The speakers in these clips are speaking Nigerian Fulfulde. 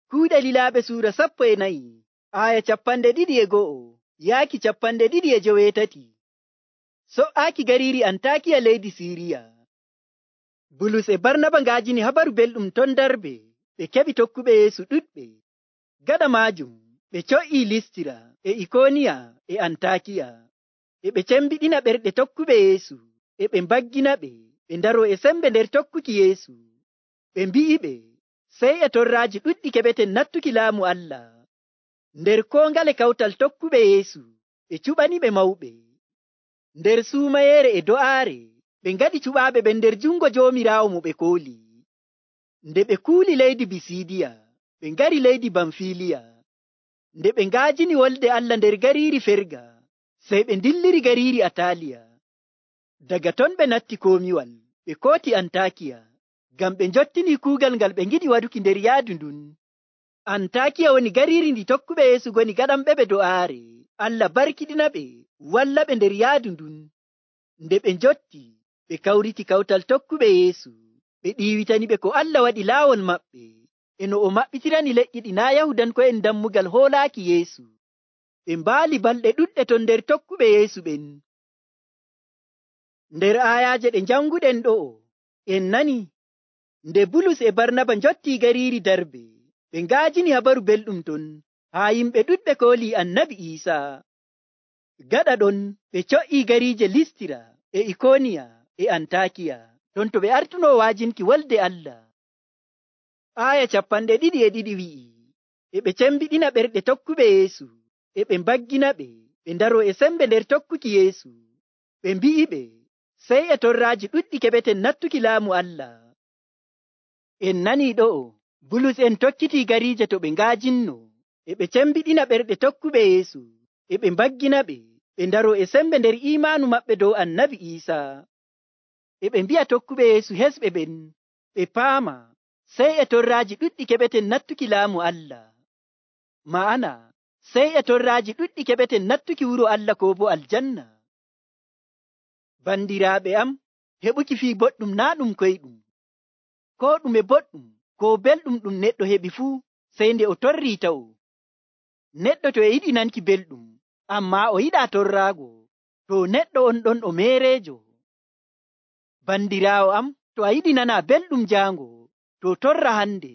Kuuɗe Lilaaɓe suura 14 aya 21 yaaki 28. So''aaki gariiri Antaakiya leydi Siiriya. Bulus e Barnaba ngaajini habaru belɗum ton Darbe, ɓe keɓi tokkuɓe Yeesu ɗuɗɓe. Gaɗa maajum ɓe co'ii Listira e Ikooniya e Antaakiya, e ɓe cembiɗina ɓerɗe tokkuɓe Yeesu, e ɓe mbagginaɓe ɓe ndaroo e sembe nder tokkuki Yeesu. Ɓe mbi'iɓe sey e torraaji ɗuɗɗi keɓeten nattuki laamu Allah. Nder koo ngale kawtal tokkuɓe Yeesu ɓe cuɓaniɓe mawɓe. Nder suumayeere e do'aare ɓe ngaɗi cuɓaaɓe ɓen nder jungo Joomiraawo mo ɓe kooli. Nde ɓe kuuli leydi Bisiidiya, ɓe ngari leydi Bamfiliya. Nde ɓe ngaajini wolde Allah nder gariiri Ferga, sey ɓe ndilliri gariiri Ataaliya. Daga ton ɓe natti komiwal, ɓe kooti Antaakiya, ngam ɓe njottini kuugal ngal ɓe ngiɗi waɗuki nder yaadu ndun. Antaakiya woni gariiri ndi tokkuɓe Yeesu ngoni gaɗanɓe do'aare. Allah barkiɗinaɓe, wallaɓe nder yaadu ndun. Nde ɓe njotti, ɓe kawriti kawtal tokkuɓe Yeesu. Ɓe ɗiiwitaniɓe ko Allah waɗi laawol maɓɓe, e no o maɓɓitirani leƴƴi ɗi naa' Yahudanko'en dammugal hoolaaki Yeesu. Ɓe mbaali balɗe ɗuɗɗe ton nder tokkuɓe Yeesu ɓen. Nder aayaaje ɗe njanguɗen ɗo'o, en nani nde Bulus e Barnaba njottii gariiri Darbe, ɓe ngaajini habaru belɗum ton haa yimɓe ɗuɗɓe koolii Annabi Iisaa. Gaɗa ɗon ɓe co'ii gariije Listira e Ikooniya e Antaakiya, ton to ɓe artunoo waajinki wolde Allah. Aaya 22 wi'i, e ɓe cembiɗina ɓerɗe tokkuɓe Yeesu, e ɓe mbagginaɓe ɓe ndaroo e sembe nder tokkuki Yeesu. Ɓe mbi'iɓe sey e torraaji ɗuɗɗi keɓeten nattuki laamu Allah. En nanii ɗo'o, Bulus en tokkitii gariije to ɓe ngaajinno, e ɓe cembiɗina ɓerɗe tokkuɓe Yeesu, e ɓe mbagginaɓe ɓe ndaroo e sembe nder iimaanu maɓɓe dow Annabi Iisaa. E ɓe mbi'a tokkuɓe Yeesu hesɓe ɓen ɓe paama sey e torraaji ɗuɗɗi keɓeten nattuki laamu Allah. Ma'ana, sey e torraaji ɗuɗɗi keɓeten nattuki wuro Allah koo bo aljanna. Bandiraaɓe am, heɓuki fii boɗɗum naa' ɗum koyɗum. Koo ɗume boɗɗum koo belɗum ɗum neɗɗo heɓi fuu sey nde o torrii tawo. Neɗɗo to e yiɗi nanki belɗum, ammaa o yiɗaa torraago, to neɗɗo on ɗon o meereejo. Bandiraawo am, to a yiɗi nanaa belɗum jaango, to torra hande.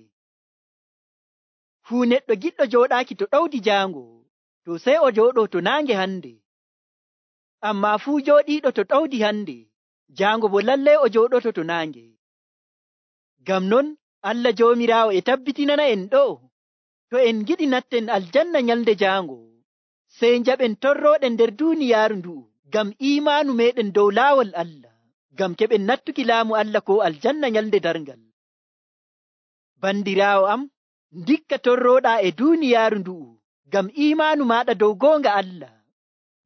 Fuu neɗɗo giɗɗo jooɗaaki to ɗawdi jaango, to sey o jooɗoo to naange hande. Ammaa fuu jooɗiiɗo to ɗawdi hande, jaango bo lallay o jooɗoto to naange. Ngam non Allah Joomiraawo e tabbitinana en ɗo'o, to en giɗi natten aljanna nyalnde jaango, sey njaɓen torrooɗen nder duuniyaaru ndu'u ngam iimaanu meeɗen dow laawol Allah, ngam keɓen nattuki laamu Allah ko aljanna nyalnde darngal. Bandiraawo am, ndikka torrooɗaa e duuniyaaru ndu'u ngam iimaanu maaɗa dow goonga Allah,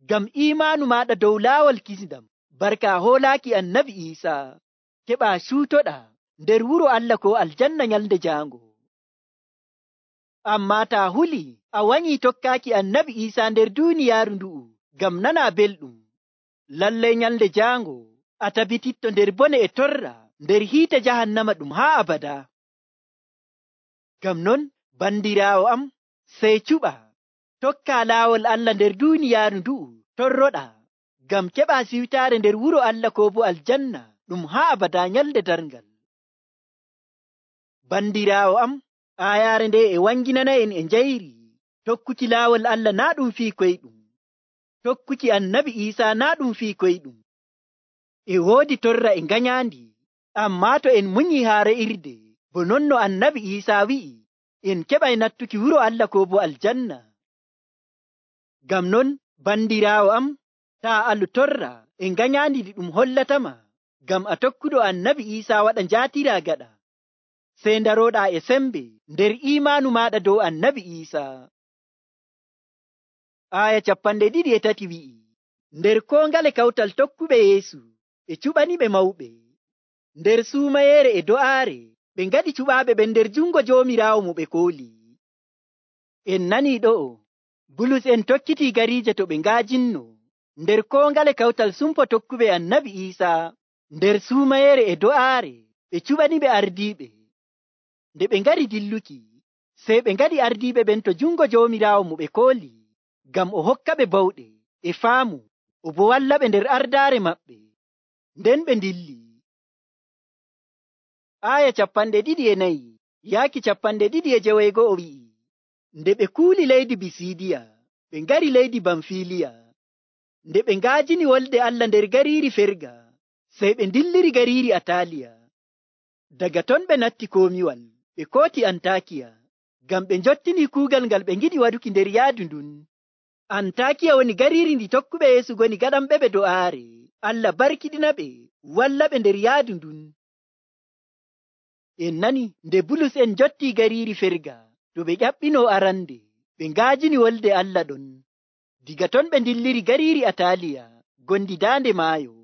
ngam iimaanu maaɗa dow laawol kisndam, barka hoolaaki Annabi Iisaa, keɓaa cuutoɗaa nder wuro Allah ko aljanna nyalnde jaango. Ammaa taa huli a wanyii tokkaaki Annabi Iisaa nder duuniyaaru ndu'u ngam nanaa belɗum, lallay nyalnde jaango a tabititto nder bone e torra nder hiite jahannama ɗum haa abada. Ngam non bandiraawo am, sey cuɓa tokkaa laawol Allah nder duuniyaaru ndu'u torroɗaa, ngam keɓaa siwtaare nder wuro Allah koo bo aljanna ɗum haa abada nyalnde darngal. Bandiraawo am, aayaare nde e wanginana en e njayri tokkuki laawol Allah naa ɗum fii koyɗum, tokkuki Annabi Iisaa naa ɗum fii koyɗum. E woodi torra e nganyaandi, ammaa to en munyii haa re'irde, bo non no Annabi Iisaa wi'i, en keɓay nattuki wuro Allah koo bo aljanna. Ngam non bandiraawo am, taa alu torra e nganyaandi ɗi ɗum hollatama, ngam a tokkuɗo Annabi Iisaa waɗa njaatiraa gaɗa, sey ndarooɗaa e sembe nder iimaanu maaɗa dow Annabi Iisaa. Aaya 23 wi'i, nder koo ngale kawtal tokkuɓe Yeesu ɓe cuɓaniɓe mawɓe. Nder suumayeere e do'aare ɓe ngaɗi cuɓaaɓe ɓen nder jungo Joomiraawo mo ɓe kooli. En nanii ɗo'o, Bulus en tokkitii gariije to ɓe ngaajinno, nder koo ngale kawtal sumpo tokkuɓe Annabi Iisaa, nder suumayeere e do'aare ɓe cuɓaniɓe ardiiɓe. Nde ɓe ngari dilluki, Sey ɓe ngaɗi ardiiɓe ɓen to jungo Joomiraawo mo ɓe kooli, ngam o hokka ɓe bawɗe e faamu, o bo walla ɓe nder ardaare maɓɓe. Nden ɓe ndilli. Aaya 24 yaaki 25 wi'i, nde ɓe kuuli leydi Bisiidiya, ɓe ngari leydi Bamfiliya. Nde ɓe ngaajini wolde Allah nder gariiri Ferga, sey ɓe ndilliri gariiri Ataaliya. Daga ton ɓe natti komiwal, ɓe kooti Antakiya, ngam ɓe njottini kuugal ngal ɓe ngiɗi waɗuki nder yaadu ndun. Antakiya woni gariiri ndi tokkuɓe Yeesu ngoni gaɗanɓe ɓe do'aare. Allah barkiɗina ɓe, walla ɓe nder yaadu ndun. En nani nde Bulus en jotti gariiri Ferga, to ɓe ƴaɓɓino arande, ɓe ngaajini wolde Allah ɗon. Diga ton ɓe ndilliri gariiri Ataaliya, gondi daande maayo.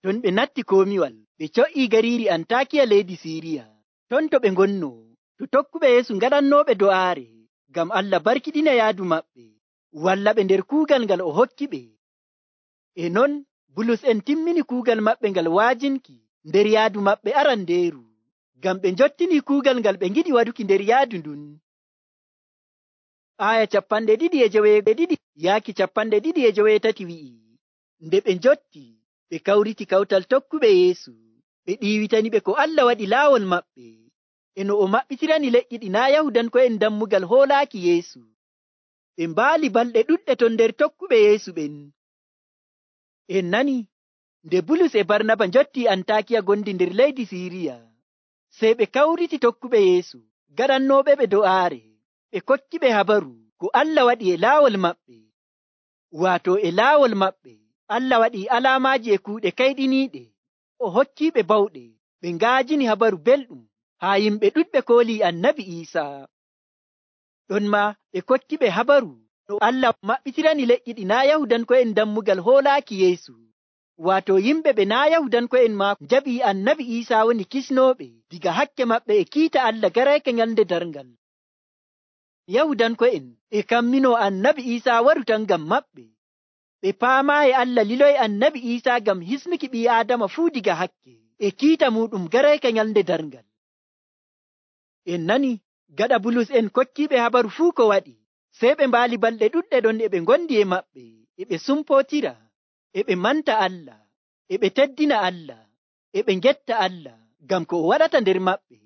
Ton ɓe natti komiwal, ɓe co'ii gariiri Antakiya leydi Siiriya. Ton to ɓe ngonno, to tokkuɓe Yeesu ngaɗannooɓe do'aare, ngam Allah barkiɗina yaadu maɓɓe, walla ɓe nder kuugal ngal o hokki ɓe. E non, Bulus en timmini kuugal maɓɓe ngal waajinki nder yaadu maɓɓe arandeeru, ngam ɓe njottini kuugal ngal ɓe ngiɗi waɗuki nder yaadu ndun. Aaya 22 yaaki 23 wi'i, nde ɓe njotti, ɓe kawriti kawtal tokkuɓe Yeesu, ɓe ɗiiwitani ɓe ko Allah waɗi laawol maɓɓe, e no o maɓɓitirani leƴƴi ɗi naa' Yahudanko'en dammugal hoolaaki Yeesu. Ɓe mbaali balɗe ɗuɗɗe ton nder tokkuɓe Yeesu ɓen. En nani, nde Bulus e Barnaba njotti Antakiya gondi nder leydi Siiriya, sey ɓe kawriti tokkuɓe Yeesu, gaɗannooɓe ɓe do'aare, ɓe kokki ɓe habaru ko Allah waɗi e laawol maɓɓe. Waato e laawol maɓɓe, Allah waɗi alaamaaji e kuuɗe kayɗiniiɗe, o hokkiiɓe bawɗe, ɓe ngaajini habaru belɗum, haa yimɓe ɗuɗɓe koolii Annabi Iisaa. Ɗon maa ɓe kokki ɓe habaru no Allah maɓɓitirani leƴƴi ɗi naa' Yahudanko'en dammugal hoolaaki Yeesu. Waato yimɓe ɓe naa' Yahudanko'en maa njaɓii Annabi Iisaa woni kisnooɓe diga hakke maɓɓe e kiita Allah garayka nyalnde darngal. Yahudanko'en e kamminoo Annabi Iisaa waru tan ngam maɓɓe. Ɓe paamaayi Allah liloyi Annabi Iisaa ngam hisnuki ɓii Aadama fuu diga hakke e kiita muuɗum garayka nyalnde darngal. En nani, gaɗa Bulus en kokkiiɓe habaru fuu ko waɗi, sey ɓe mbaali balɗe ɗuɗɗe ɗon e ɓe ngondi e maɓɓe, e ɓe sumpootira, e ɓe manta Allah, e ɓe teddina Allah, e ɓe ngetta Allah, ngam ko o waɗata nder maɓɓe.